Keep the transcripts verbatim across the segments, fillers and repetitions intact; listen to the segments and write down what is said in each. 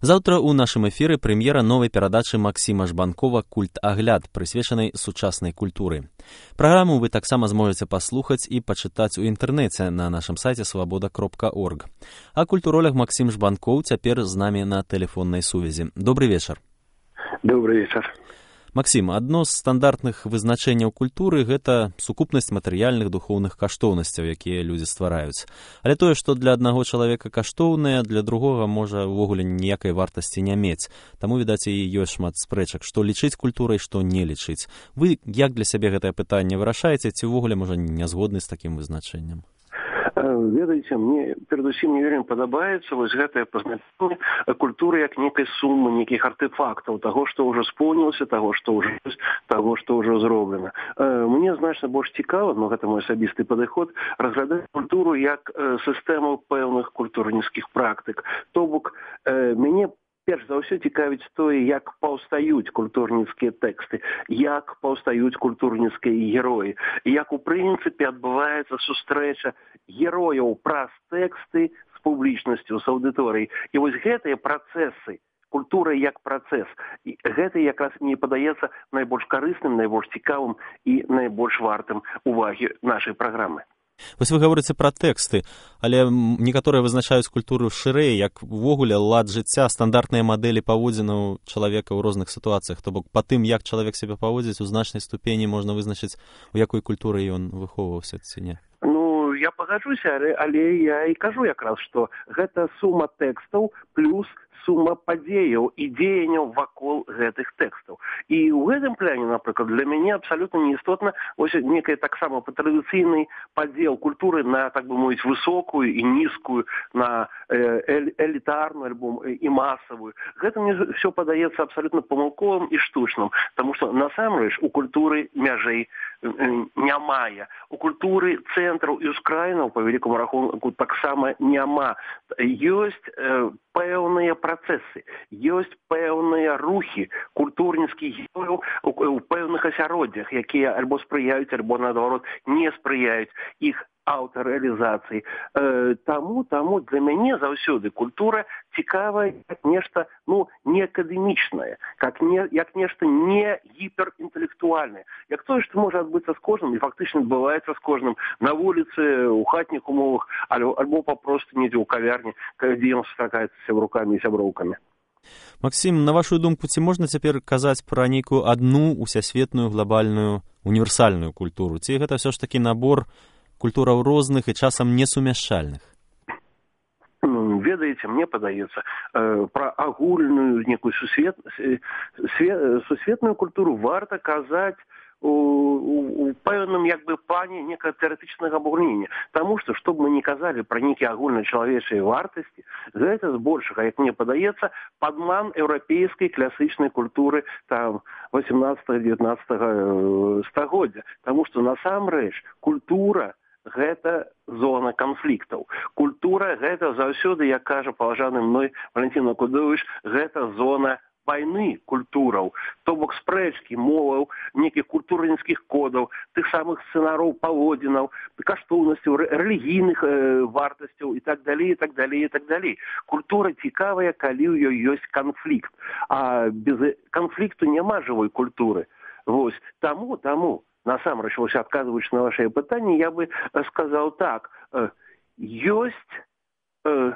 Заўтра ў нашым эфіры прэм'ера новай перадачы Максіма Жбанкова «Культагляд», прысвечанай сучаснай культуры. Праграму вы таксама зможаце паслухаць і пачытаць у інтэрнэце на нашым сайце свабода кропка орг. А культуролог Максім Жбанкоў цяпер з намі на тэлефоннай сувязі. Добры вечар. Добрый вечар. Максім, адно з стандартных вызначэнняў культуры – гэта сукупнасць матэрыяльных духоўных каштоўнасцяў, якія людзі ствараюць. Але тое, што для аднаго чалавека каштоўнае, для другога можа ўвогуле ніякай вартасці не мець. Таму, відаць, і ёсць шмат спрэчак, што лічыць культурай, што не лічыць. Вы як для сябе гэтае пытанне вырашаеце, ці ўвогуле, можа, не згодны з такім вызначэннем? Ведаеце, мне перадусім не вельмі падабаецца вось гэтае пазначэнне культуры як некай сумы, нейкіх артефактаў, таго, што ўжо споўнілася, таго, што ўжо ёсць, таго, што ўжо зроблена. Мне значна больш цікава, но гэта мой асабісты падыход, разглядаць культуру як сістэму пэўных культурніцкіх практык. То бок, мяне перш за ўсё цікавіць тое, як паўстаюць культурніцкія тэксты, як паўстаюць культурніцкія героі, як у прынцыпе адбываецца сустрэча герояў праз тэксты з публічнасцю, з аўдыторыяй. І вось гэтыя працэсы, культура як працэс, гэта якраз мне падаецца найбольш карысным, найбольш цікавым і найбольш вартым увагі нашай праграмы. Вось вы гаворыце пра тэксты, але некаторыя вызначаюць культуру шырэй, як увогуле лад жыцця, стандартныя мадэлі паводзінаў чалавека ў розных сітуацыях. То бок па тым, як чалавек сябе паводзіць, у значнай ступені можна вызначыць, у якой культуры ён выхоўваўся ці не. Ну, я пагаджуся, але, але я і кажу якраз, што гэта сума тэкстаў плюс сума падзеяў і дзеянняў вакол гэтых тэкстаў. І ў гэтым пляне, напрыклад, для мяне абсалютна неістотна ось некая таксама традыцыйны падзел культуры на, так бы мовіць, высокую і нізкую, на элітарную альбо і масавую. Гэта мне все падаецца абсалютна памылковым і штучным, таму што насамрэч у культуры мяжэй не мае. У культуры цэнтраў і ускраінаў, па вялікаму рахунку, таксама няма. Ёсць э, пэўныя працэсы, ёсць пэўныя рухі культурніцкіх герояў у пэўных асяроддзях, якія альбо спрыяюць, альбо, наадварот, не спрыяюць іх аўтарэалізацыі. Э, таму, таму для мяне заўсёды культура цікавая як нешта, ну, не акадэмічнае, як, не, як нешта не гіперінтэлектуальнае. Як тое, што можа адбыцца з кожным, і фактычна адбываецца з кожным на вуліцы, у хатніх умовах, альбо, альбо папросту недзе ў кавярні, дзе ён сустракаецца з сябрукамі і сяброўкамі. Максім, на вашу думку, ці можна цяпер казаць пра нейкую адну усесветную, глобальную, універсальную культуру? Ці гэта ўсё ж такі набор культураў розных і часам несумяшчальных? Ведаеце, мне падаецца, э, пра агульную некую сусвет, свет, сусветную культуру варта казаць у, у, у пэўным як бы плане некага тэарэтычнага абагульнення. Таму што, што б мы не казалі пра нейкія агульначалавечыя вартасці, гэта збольшага, як мне падаецца, падман еўрапейскай класычнай культуры там васемнаццатага-дзевятнаццатага стагоддзя. Таму што насамрэч культура гэта зона канфліктаў. Культура гэта заўсёды, як кажа паважаны мной Валентин Акудович, гэта зона вайны культураў, то бок спрэчкі, моваў, нейкіх культурніцкіх кодаў, тых самых сцэнараў паводзінаў, каштоўнасцяў, рэлігійных э, вартасцяў і так далей, і так далей, і так далей. Культура цікавая, калі ў ёй ёсць канфлікт. А без канфлікту няма жывой культуры. Вось, таму, таму, насамрэч, вось адказваючы на вашае пытанне, я бы сказаў так, э, ёсць э,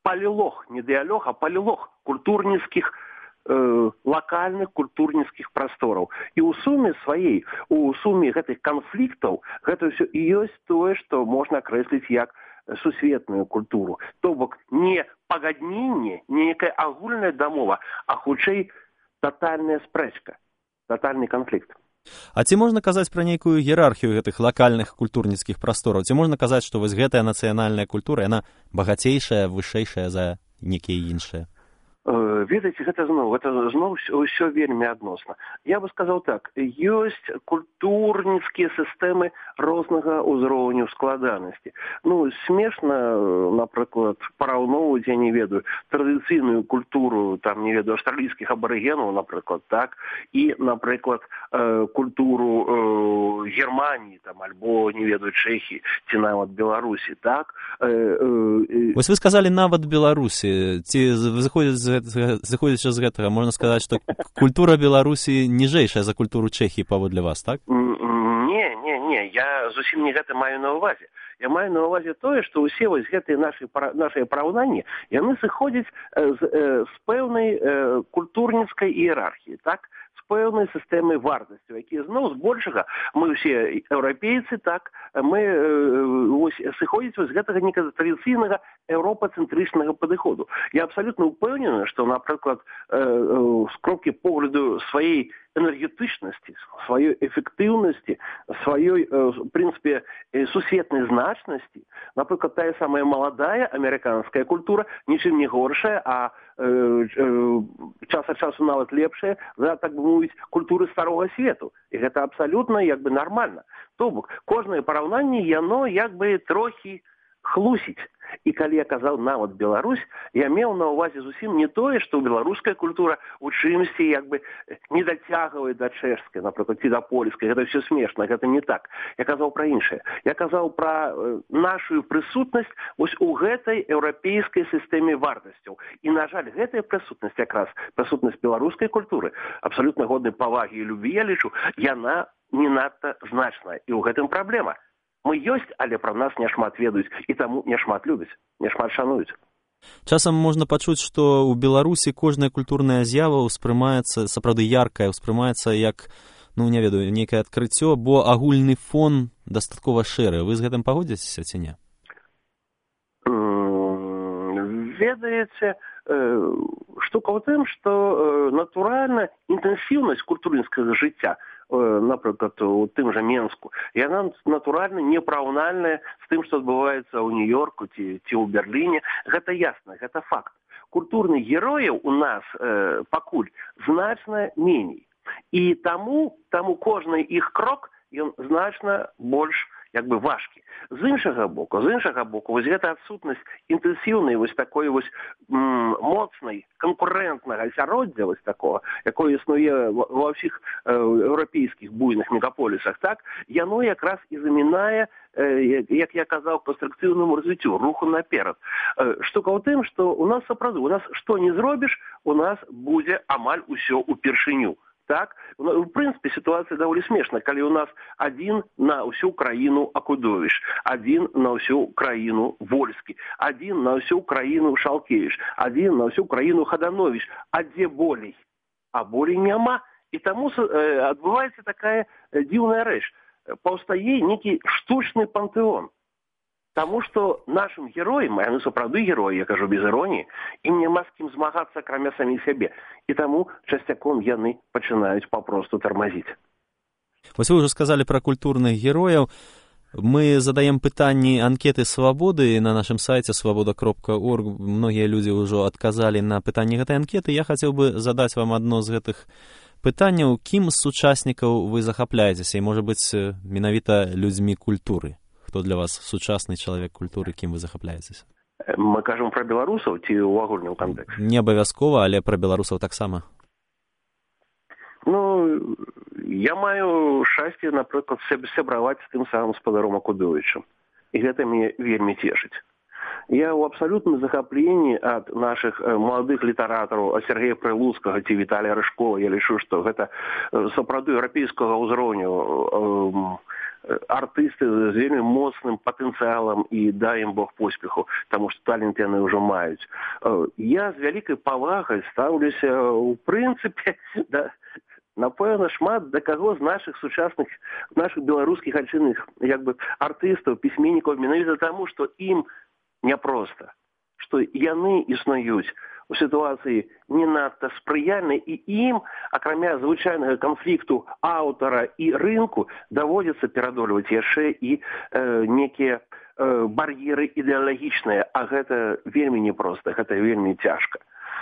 палілог, не дыялог, а палілог культурніцкіх лакальных культурніцкіх прастораў. І ў суме сваей, у суме гэтых канфліктаў, гэта ўсё і ёсць тое, што можна акрэсліць як сусветную культуру. То бок не пагадненне, не некая агульная дамова, а хутчэй татальная спрэчка, татальны канфлікт. А ці можна казаць пра нейкую іерархію гэтых лакальных культурніцкіх прастораў? Ці можна казаць, што вось гэтая нацыянальная культура, яна багацейшая, вышэйшая за некія іншыя? ведаеце, гэта зноў гэта зноў ўсё вельмі адносна. Я бы сказаў так, ёсць культурніцкія сістэмы рознага ўзроўню складанасці. Ну, смешна, напрыклад, параўноўваць, я не ведаю, традыцыйную культуру, там, не ведаю, аўстралійскіх абарыгенаў, напрыклад, так, і, напрыклад, культуру Германії, там, альбо, не ведаю, Чэхіі, ці нават Беларусі, так. Вось вы сказалі нават Беларусі, ці заходзячы з гэтага, можна сказаць, што культура Беларусі ніжэйшая за культуру Чэхіі, паводле вас, так? Не, не, не, я зусім не гэта маю на ўвазе. Я маю на ўвазе тое, што ўсе вось гэтыя нашы, нашыя параўнанні, яны сыходзяць з, з пэўнай культурніцкай іерархіі, так? З пэўнай сістэмай вартасцяў, якія зноў збольшага мы ўсе еўрапейцы, так, мы вось сыходзіць з гэтага некага традыцыйнага еўропацэнтрычнага падыходу. Я абсалютна ўпэўнены, што, напрыклад, з кропкі погляду сваёй энергетычнасці, сваёй эфектыўнасці, сваёй, в прынцыпе, сусветнай значнасці, напрыклад, тая самая маладая амерыканская культура нічым не горшая, а э, э, час ад часу нават лепшая за, так бы мовіць, культуры старога свету. І гэта абсалютна, як бы, нармальна. То бок, кожнае параўнанне, яно, як бы, трохі хлусіць. І калі я казаў нават Беларусь, я меў на ўвазе зусім не тое, што беларуская культура у чымсьці як бы не дацягвае да чэшскай, напрыклад, ці да польскай. Гэта ўсё смешна, гэта не так. Я казаў пра іншае. Я казаў пра нашу прысутнасць вось у гэтай еўрапейскай сістэме вартасцяў. І, на жаль, гэтая прысутнасць якраз, прысутнасць беларускай культуры, абсалютна годнай павагі і любві, я лічу, яна не надта значная. І ў гэтым праблема. Мы ёсць, але пра нас няшмат ведаюць, і таму няшмат любяць, няшмат шануюць. Часам можна пачуць, што ў Беларусі кожная культурная з'ява ўспрымаецца, сапраўды яркая, ўспрымаецца як, ну, не ведаю, нейкае адкрыццё, бо агульны фон дастаткова шэры. Вы з гэтым пагодзіцеся ці не? Ведаеце, штука ў тым, што натуральна інтэнсіўнасць культурніцкага жыцця, напрыклад, у тым жа Менску, яна натуральна непараўнальная з тым, што адбываецца ў Нью-Йорку ці, ці ў Берліне. Гэта ясна, гэта факт. Культурных герояў у нас э, пакуль значна меней. І таму, таму кожны іх крок, ён значна больш, як бы, важкі. З іншага боку, з іншага боку, вось гэта адсутнасць інтэнсіўнай вось такой вось м, моцнай канкурэнтнага асяроддзя вось такого, якое існуе ва ўсіх э, еўрапейскіх буйных мегаполісах, так, яно якраз і замінае, э, як я казаў, канструкцыйнаму развіццю, руху наперад. Э, штука ў тым, што у нас сапраўды, у нас што не зробіш, у нас будзе амаль усё упершыню. Так? В прынцыпе, сітуацыя даволі смешна, калі у нас адзін на ўсю краіну Акудовіч, адзін на ўсю краіну Вольскі, адзін на ўсю краіну Шалкевіч, адзін на ўсю краіну Хадановіч. А дзе болей? А болей няма. І таму э, адбываецца такая дзіўная рэч. Паўстае нейкі штучны пантэон. Таму што нашым героям, а яны сапраўды героі, я кажу без іроніі, ім няма з кім змагацца, акрамя саміх сябе. І таму часцяком яны пачынаюць папросту тармазіць. Вось вы ўжо сказалі пра культурных герояў. Мы задаем пытанні анкеты свабоды на нашым сайце свабода кропка орг. Многія людзі ўжо адказалі на пытанні гэтай анкеты. Я хацеў бы задаць вам адно з гэтых пытанняў. Кім з сучаснікаў вы захапляецеся? І, можа быць, менавіта людзьмі культуры? Хто для вас сучасны чалавек культуры, кім вы захапляецеся? Мы кажам пра беларусаў ці ў агульным кантэксце? Не абавязкова, але пра беларусаў таксама. Ну, я маю шчасце, напрыклад, сябраваць з тым самым спадаром Акудовічам. І гэта мяне вельмі цешыць. Я ў абсалютным захапленні ад нашых маладых літаратараў, ад Сергея Прылуцкага ці Віталія Рыжкова. Я лічу, што гэта сапраўды еўрапейскага ўзроўню артысты з вельмі моцным патэнцыялам і дай ім Бог поспеху, таму што талент яны ўжо маюць. Я з вялікай павагай стаўлюся ў прынцыпе да, напэўна, шмат да каго з нашых сучасных, нашых беларускіх айчынных як бы артыстаў, пісьменнікаў, менавіта таму, што ім няпроста, што яны існуюць у сітуацыі не надта спрыяльнай, і ім, акрамя звычайнага канфлікту аўтара і рынку, даводзіцца перадольваць яшчэ і э, некія э, бар'еры ідэалагічныя, а гэта вельмі непроста, гэта вельмі цяжка.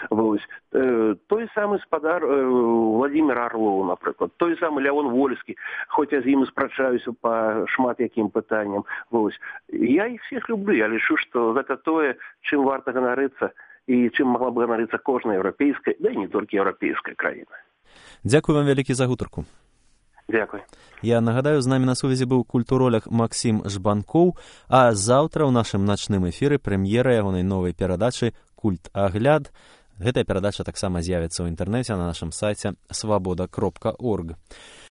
Вось. Э, той самы спадар э, Владимир Орлов, напрыклад, той самы Леон Вольскі, хоць я з ім спрачаюся па шмат якім пытанням. Вось. Я іх всіх люблю, я лічу, што гэта тое, чым варта ганарыцца і чым магла б ганарыцца кожная еўрапейская, да і не толькі еўрапейская краіна. Дзякую вам вялікі за гутарку. Дзякуй. Я нагадаю, з намі на сувязі быў культуролог Максім Жбанкоў, а заўтра ў нашым начным эфіры прэм'ера ягонай новай перадачы «Культ-агляд». Гэтая перадача таксама з'явіцца ў інтэрнэце на нашым сайце свабода кропка орг.